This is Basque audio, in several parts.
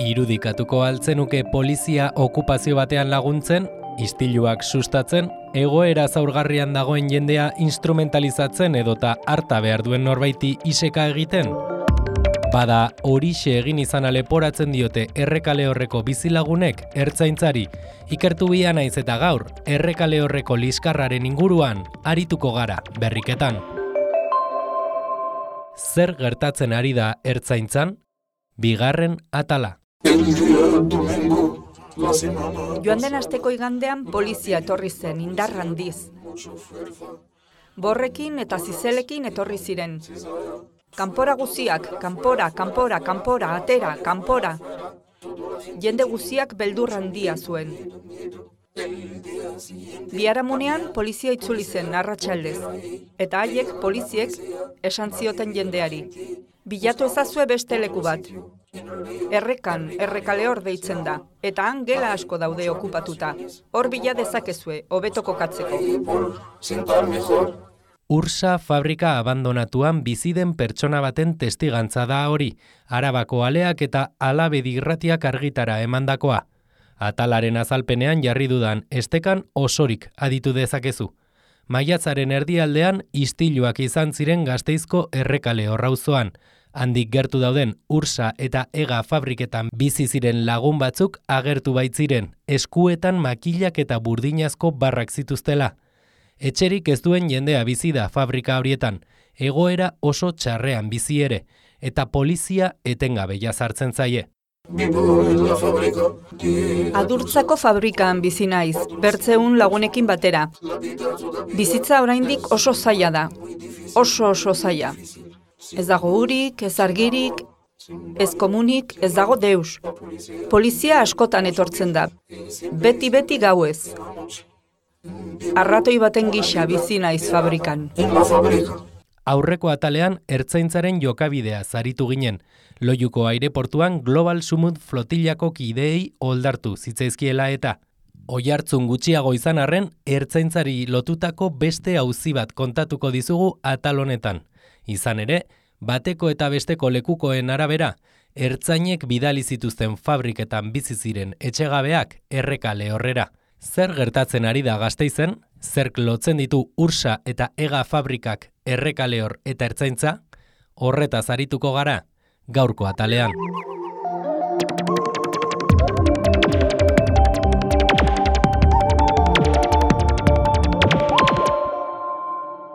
Irudikatuko altzenuke polizia okupazio batean laguntzen, istiluak sustatzen, egoera zaurgarrian dagoen jendea instrumentalizatzen edota harta behar duen norbaiti iseka egiten? Bada, horixe egin izan leporatzen diote Errekale Horreko bizilagunek ertzaintzari. Ikertu bia naiz eta gaur, Errekale Horreko liskarraren inguruan arituko gara berriketan. Zer gertatzen ari da ertzaintzan? Bigarren atala. Joan den asteko igandean polizia etorri zen indar handiz. Borrekin eta zizelekin etorri ziren. Kanpora guziak, kanpora, atera, kanpora. Jende guziak beldur handia zuen. Biharamunean polizia itzuli zen arratsaldez, eta haiek poliziek esan zioten jendeari. Bilatu ezazue beste leku bat. Errekale Hor deitzen da, eta han gela asko daude okupatuta. Hor bila dezakezue, hobeto kokatzeko. Ursa fabrika abandonatuan bizi den pertsona baten testigantza da hori, Arabako Aleak eta Alabedi Irratiak argitara emandakoa. Atalaren azalpenean jarri dudan estekan osorik aditu dezakezu. Maiatzaren erdialdean istiluak izan ziren Gasteizko Errekale Hor auzoan. Handik gertu dauden Ursa eta Ega fabriketan bizi ziren lagun batzuk agertu baitziren, eskuetan makilak eta burdinazko barrak zituztela. Etxerik ez duen jendea bizi da fabrika horietan, egoera oso txarrean bizi ere, eta polizia etengabe jazartzen zaie. Adurtzako fabrikan bizi naiz, bertzeun lagunekin batera. Bizitza oraindik oso zaila da, oso zaila. Ez dago urik, ez argirik, ez komunik, ez dago deus. Polizia askotan etortzen da, beti gauez. Arratoi baten gisa bizi naiz fabrikan. Aurreko atalean ertzaintzaren jokabidea zaritu ginen. Loiuko aireportuan Global Sumut flotillako kideei oldartu zitzaizkiela eta oihartzun gutxiago izan arren ertzaintzari lotutako beste auzi bat kontatuko dizugu atal honetan. Izan ere, bateko eta besteko lekukoen arabera, ertzainek bidali zituzten fabriketan bizi ziren etxegabeak Errekale Horrera. Zer gertatzen ari da Gasteizen? Zerk lotzen ditu Ursa eta Ega fabrikak Errekale Hor eta ertzaintza? Horretaz arituko gara, gaurko atalean.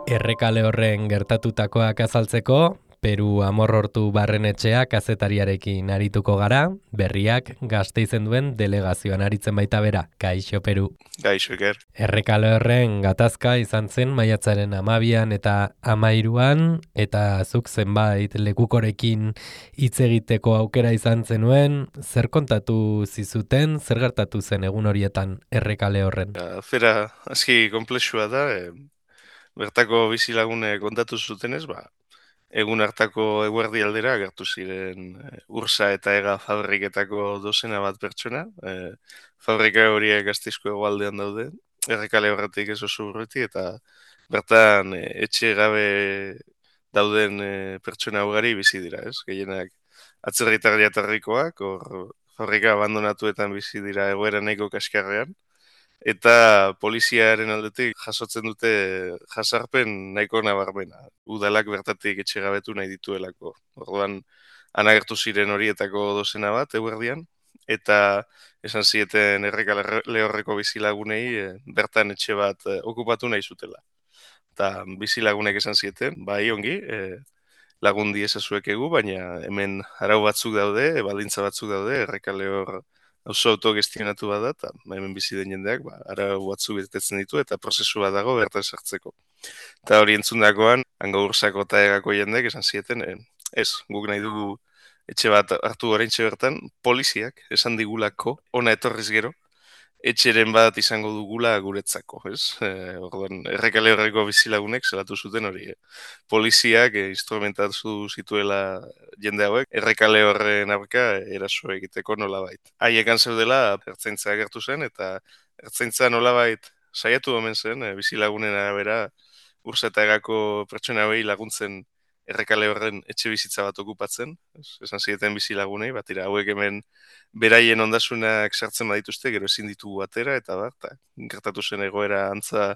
Errekale Horren gertatutakoak azaltzeko, Peru Amorrortu Barrenetxea kazetariarekin arituko gara, berriak Gasteizen duen delegazioan aritzen baita bera. Kaixo, Peru. Kaixo, Iker. Errekale Horren gatazka izan zen maiatzaren 12an eta 13an, eta zuk zenbait lekukorekin hitz egiteko aukera izan zenuen, zer kontatu zizuten, zer gertatu zen egun horietan Errekale Horren? Zera, aski komplexua da, bertako bizilagune kontatu zutenez, egun hartako eguerdi aldera agertu ziren Ursa eta Ega fabriketako dozena bat pertsona. Fabrika horiek Gasteizko hegoaldean daude, Errekale Horretik ez oso urruti, eta bertan etxe gabe dauden pertsona ugari bizi dira, ez? Gehienak atzerritar jatorrikoak, hor fabrika abandonatuetan bizi dira egoera nahiko kaskarrean. Eta poliziaren aldetik jasotzen dute jasarpen nahiko nabarmena. Udalak bertatik etxegabetu nahi dituelako. Orduan, anagertu ziren horietako dozena bat, eguerdian, eta esan zieten Errekale Horreko bizilagunei bertan etxe bat okupatu nahi zutela. Eta bizilagunek esan zieten, bai ongi, lagundi ezazuek egu, baina hemen arau batzuk daude, baldintza batzuk daude, Errekale Hor oso autogestionatu bat da, eta hemen bizi den jendeak, arau batzuk betetzen ditu, eta prozesu bat dago bertan sartzeko. Eta hori entzundakoan, hango Ursako eta Egako jendeak esan zieten, ez, guk nahi dugu etxe bat hartu oraintxe bertan, poliziak esan digulako, ona etorriz gero, etxeren bat izango dugula guretzako, ez? Orduan, Errekale Horreko bizilagunek zelatu zuten hori. Poliziak instrumentatu zituela jende hauek, Errekale Horren aurka eraso egiteko nolabait. Haiekan zeudela, ertzaintza agertu zen, eta ertzaintza nolabait saiatu omen zen, bizilagunen arabera, Ursa eta Egako pertsona hauei laguntzen errekale horren etxe bizitza bat okupatzen, esan zieten bizilagunei, bat hauek hemen beraien ondasunak sartzen badituzte, gero ezin ditugu atera, eta gertatu zen egoera antza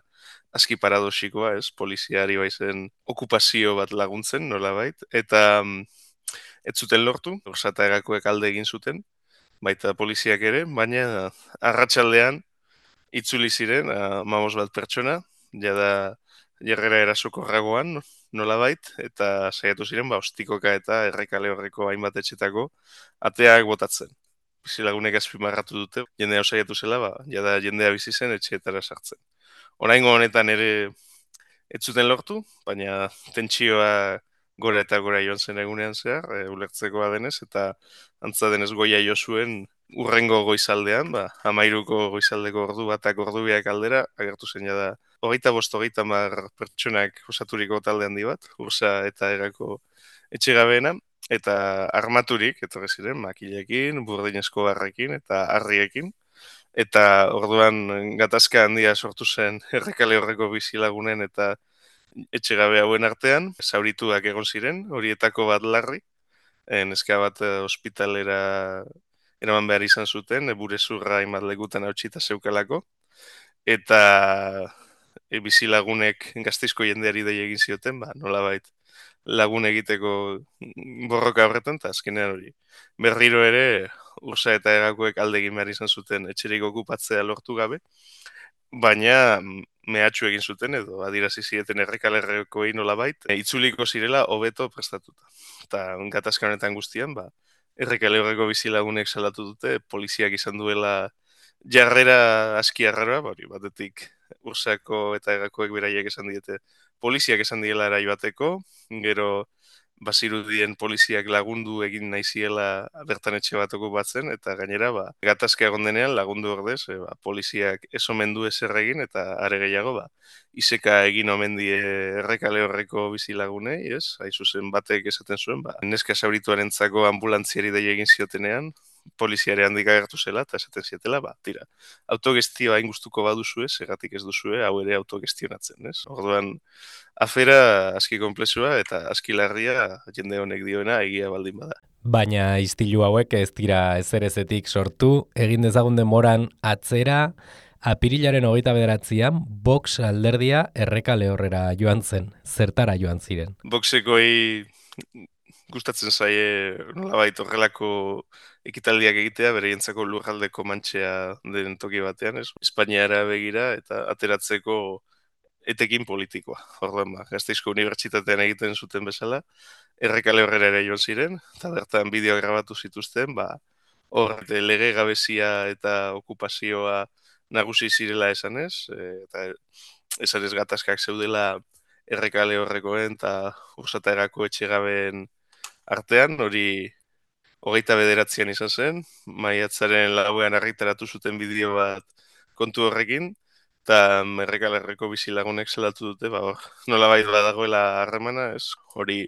aski paradoxikoa, poliziari baizen okupazio bat laguntzen, nolabait, eta ez zuten lortu, Orsata Egakoek alde egin zuten, baita poliziak ere, baina arratsaldean itzuli ziren, 15 pertsona, jada jarrera erasokorragoan, nolabait, eta saiatu ziren, ostikoka eta errekale horreko hainbat etxetako ateak botatzen. Bizilagunek azpimarratu dute, jendea saiatu zela, jada jendea bizi zen etxeetara sartzen. Oraingo honetan ere ez zuten lortu, baina tentsioa gora eta gora joan zen egunean zehar, ulertzekoa denez, eta antza denez goia jo zuen urrengo goizaldean, 13ko goizaldeko ordu batak ordu biak aldera, agertu zen jada 25-30 pertsonak osaturiko talde handi bat, Ursa eta Egako etxegabeena, eta armaturik, etorri ziren, makilekin, burdinezko barrekin eta harriekin, eta orduan gatazka handia sortu zen errekale horreko bizilagunen eta etxegabe hauen artean, zaurituak egon ziren, horietako bat larri, neska bat ospitalera eraman behar izan zuten, burezurra hainbat lekutan hautsita zeukalako, eta bizilagunek Gasteizko jendeari dei egin zioten, nolabait lagun egiteko borroka horretan, eta azkenean hori. Berriro ere, Ursa eta Egakoek alde egin behar izan zuten etxerik okupatzea lortu gabe, baina mehatxu egin zuten edo adirazi zieten errekalerrekoei nolabait, itzuliko zirela hobeto prestatuta. Eta gatazka honetan guztian, errekale horreko bizilagunek salatu dute, poliziak izan duela jarrera aski arraroa, batetik Ursako eta Egakoek beraiek esan diete, poliziak esan diela ara joateko, gero bazirudien poliziak lagundu egin nahiziela bertan etxe bat okupatzen, eta gainera, gatazka egon denean lagundu ordez, poliziak ez omen du ezer egin, eta are gehiago, iseka egin omen die errekale horreko bizilagunei, hain zuzen batek esaten zuen, neska zaurituarentzako ambulantziari dei egin ziotenean, poliziare handik agertu zela, eta esaten zietela, tira, autogestioa hain gustuko baduzue, segatik ez duzue, hau ere autogestionatzen, Orduan, afera aski konplexua eta aski larria jende honek dioena egia baldin bada. Baina istilu hauek ez dira ezerezetik sortu, egin dezagun denboran atzera, apirilaren 29an Vox alderdia errekale horrera joan zen, zertara joan ziren. Voxekoi gustatzen zaie nolabait horrelako ekitaldiak egitea, bereientzako lurraldeko mantxea den toki batean, Espainiara begira eta ateratzeko etekin politikoa. Orduan, Gasteizko Unibertsitatean egiten zuten bezala, errekale horrera ere joan ziren, eta bertan bideo grabatu zituzten, hor lege gabezia eta okupazioa nagusi zirela esanez, eta esanez gatazkak zeudela errekale horrekoen eta Ursata Egako etxegabeen artean, hori 29an izan zen, maiatzaren 4an argitaratu zuten bideo bat kontu horrekin, eta errekalerreko bizilagunek zelatu dute, nolabait badagoela harremana, hori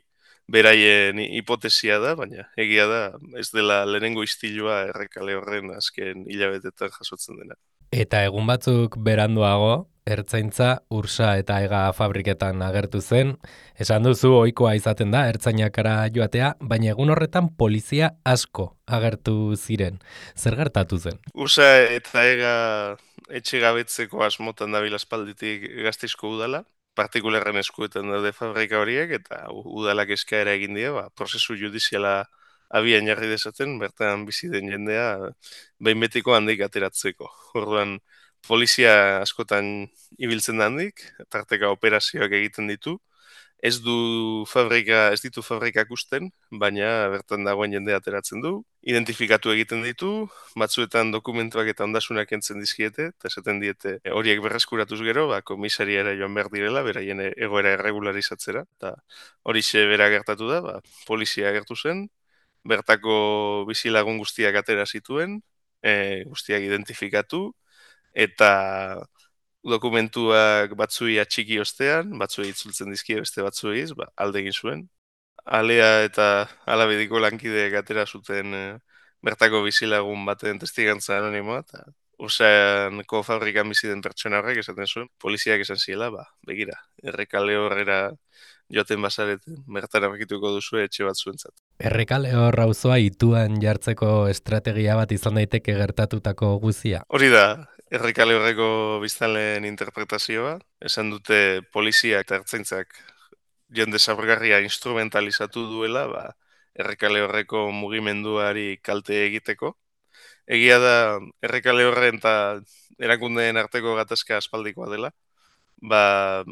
beraien hipotesia da, baina egia da ez dela lehenengo istilua errekale horren azken hilabetetan jasotzen dena. Eta egun batzuk beranduago, ertzaintza Ursa eta Ega fabriketan agertu zen. Esan duzu ohikoa izaten da ertzainakara joatea, baina egun horretan polizia asko agertu ziren. Zer gertatu zen? Ursa eta Ega etxegabetzeko asmotan dabil aspalditik Gasteizko udala, partikularren eskuetan daude fabrika horiek, eta udalak eskaera egin die, prozesu judiziala abian jarri dezaten, bertan bizi den jendea behin betiko handik ateratzeko. Orduan, polizia askotan ibiltzen da handik, tarteka operazioak egiten ditu, ez ditu fabrikak usten, baina bertan dagoen jendea ateratzen du, identifikatu egiten ditu, batzuetan dokumentuak eta ondasunak entzen dizkiete, eta esaten diete horiek berreskuratuz gero, komisariara joan behar direla, beraien egoera erregularizatzera, eta horixe bera gertatu da, polizia agertu zen, bertako bizilagun guztiak atera zituen, guztiak identifikatu, eta dokumentuak batzuei atxiki ostean, batzuei itzultzen dizkie beste batzuei, alde egin zuen. Alea eta alabediko lankideek atera zuten bertako bizilagun baten testigantza anonimoa, eta Ursaneko fabrikan bizi den pertsona horrek esaten zuen, poliziak esan ziela, begira, errekale horrera joaten bazareten, bertan aurkituko duzu etxe bat zuentzat. Errekale hor auzoa ituan jartzeko estrategia bat izan daiteke gertatutako guzia. Hori da, errekale horreko biztanleen interpretazioa, esan dute polizia eta ertzaintzak jende zaurgarria instrumentalizatu duela, errekale horreko mugimenduari kalte egiteko. Egia da, errekale horren eta erakundeen arteko gatazka aspaldikoa dela,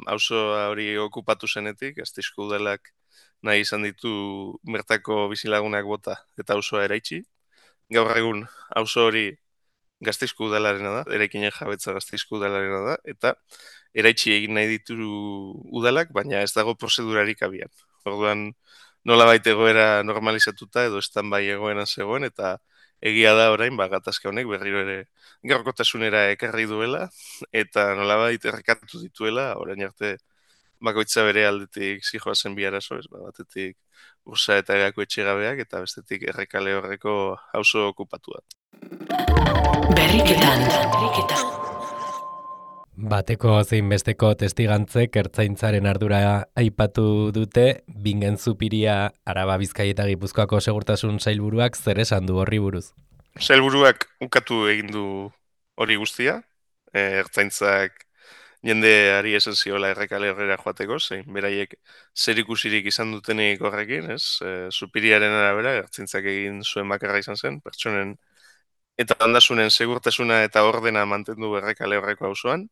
auzo hori okupatu zenetik, Gasteizko udalak nahi izan ditu bertako bizilagunak bota eta auzoa eraitsi. Gaur egun auzo hori Gasteizko udalarena da, eraikinen jabetza Gasteizko udalarena da, eta eraitsi egin nahi ditu udalak, baina ez dago prozedurarik abian. Orduan, nolabait egoera normalizatuta edo bai egoeran zegoen, eta egia da orain, gatazka honek berriro ere gaurkotasunera ekarri duela, eta nolabait errekatu dituela, orain arte bakoitza bere aldetik zijoazen bi arazo, batetik ursa eta egako etxegabeak, eta bestetik errekale horreko auzo okupatua. Berriketan. Bateko zein besteko testigantzek ertzaintzaren ardura aipatu dute, Bingen Zupiria Araba Bizkaia eta Gipuzkoako segurtasun sailburuak zer esan du horri buruz. Sailburuak ukatu egin du hori guztia, ertzaintzak jendeari esan ziola errekale horrera joateko, zein beraiek zerikusirik izan dutenik horrekin, ez? Zupiriaren arabera, ertzaintzak egin zuen bakarra izan zen, pertsonen eta ondasunen segurtasuna eta ordena mantendu errekale horreko auzoan,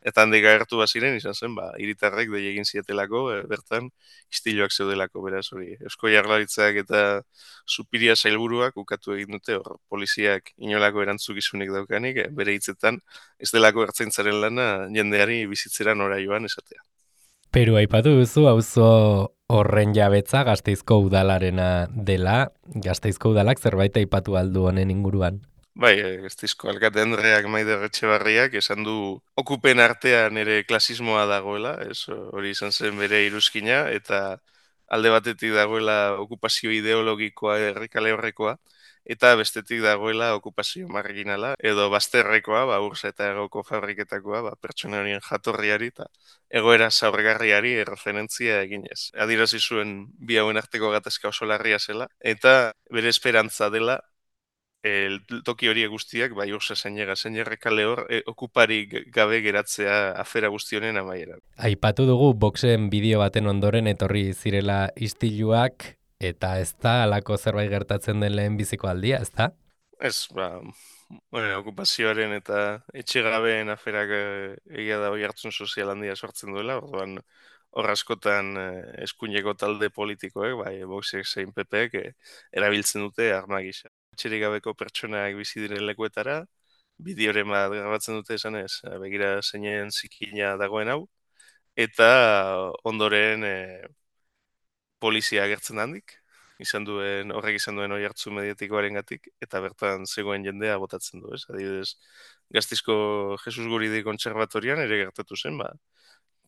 eta handik agertu baziren izan zen, hiritarrek dei egin zietelako, bertan istiloak zeudelako, beraz hori. Eusko Jaurlaritzak eta Zupiria sailburuak ukatu egin dute, hor poliziak inolako erantzukizunik daukanik, bere hitzetan ez delako ertzaintzaren lana jendeari bizitzera nora joan esatea. Peru aipatu duzu, auzo horren jabetza Gasteizko udalarena dela, Gasteizko udalak zerbait aipatu aldu honen inguruan. Bai, Gasteizko alkate Andreak Maider Etxebarriak esan du okupen artean ere klasismoa dagoela, hori izan zen bere iruzkina, eta alde batetik dagoela okupazio ideologikoa errekale horrekoa, eta bestetik dagoela okupazio marginala, edo bazterrekoa, ursa eta egoko fabriketakoa, pertsona horien jatorriari eta egoera zaurgarriari erreferentzia eginez. Adirazi zuen bi hauen arteko gatazka oso larria zela, eta bere esperantza dela toki horiek guztiak, ursa zeinega, errekale hor, okupari gabe geratzea afera guztionen amaieran. Aipatu dugu boxen bideo baten ondoren etorri zirela istiluak, eta ez da alako zerbait gertatzen den lehen biziko aldia, ez da? Ez, okupazioaren eta etxegabeen aferak egia da hori hartzun sozial handia sortzen duela, orduan hor askotan eskuineko talde politikoek, boxek zein PPek erabiltzen dute arma gisa. Etxerik gabeko pertsonak bizi diren lekuetara, bideoren bat grabatzen dute esan ez, begira zeinen zikina dagoen hau, eta ondoren polizia agertzen handik, horrek izan duen hori hartzu mediatikoaren gatik, eta bertan zegoen jendea botatzen du, ez? Adibidez, Gasteizko Jesus Guridi kontserbatorian ere gertatu zen,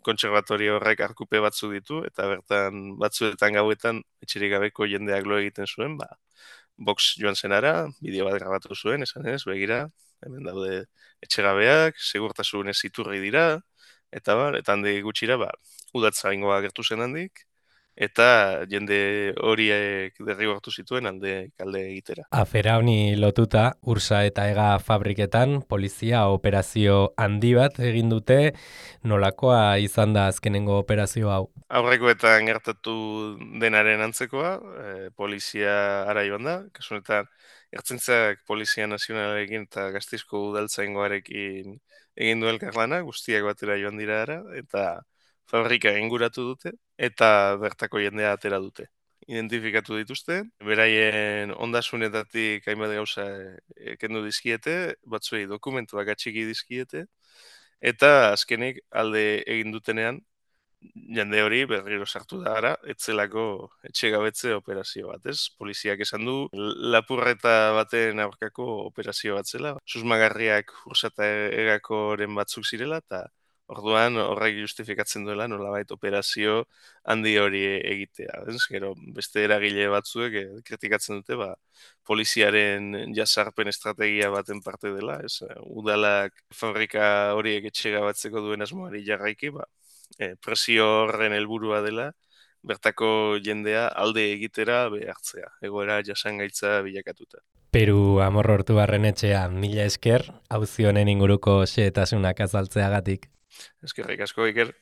kontserbatorio horrek arkupe batzu ditu, eta bertan batzuetan gauetan etxerik gabeko jendeak lo egiten zuen, box joan zenara, bideo bat grabatu zuen, esan ez, begira, hemen daude etxegabeak, segurtasunez iturri dira, eta handi gutxira, udatza ingoa gertu zen handik, eta jende horiek derrigortu zituen kalde egitera. Afera honi lotuta, ursa eta ega fabriketan, polizia operazio handi bat egin dute, nolakoa izan da azkenengo operazio hau? Aurrekoetan gertatu denaren antzekoa, polizia ara joan da, kasunetan ertzaintzak Polizia Nazionalarekin eta Gasteizko udaltzaingoarekin egin du elkarlana, guztiak batera joan dira ara, eta fabrika inguratu dute, eta bertako jendea atera dute. Identifikatu dituzte, beraien ondasunetatik hainbat gauza kendu dizkiete, batzuei dokumentuak atxiki dizkiete, eta azkenik alde egin dutenean, jende hori berriro sartu da ara, etzelako etxegabetze operazio bat, ez? Poliziak esan du, lapurreta baten aurkako operazio bat zela, susmagarriak ursata egakoren batzuk zirela, eta orduan horrek justifikatzen duela nolabait operazio handi hori egitea. Ez? Gero beste eragile batzuek kritikatzen dute poliziaren jasarpen estrategia baten parte dela. Ez? Udalak fabrika horiek etxegabatzeko duen asmoari jarraiki, presio horren helburua dela bertako jendea alde egitera behartzea, egoera jasangaitza bilakatuta. Peru Amorortu Barrenetxea, mila esker, auzi honen inguruko xehetasunak azaltzeagatik. Eskerrik asko, Iker.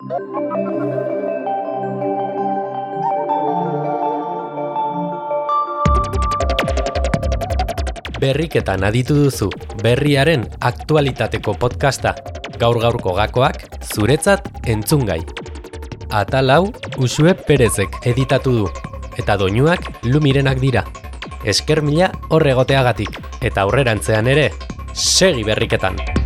Berriketan aditu duzu, berriaren aktualitateko podcasta. Gaur-gaurko gakoak, zuretzat entzungai. Atal hau, Uxue Perezek editatu du, eta doinuak Lumirenak dira. Esker mila hor egoteagatik, eta aurrerantzean ere, segi berriketan!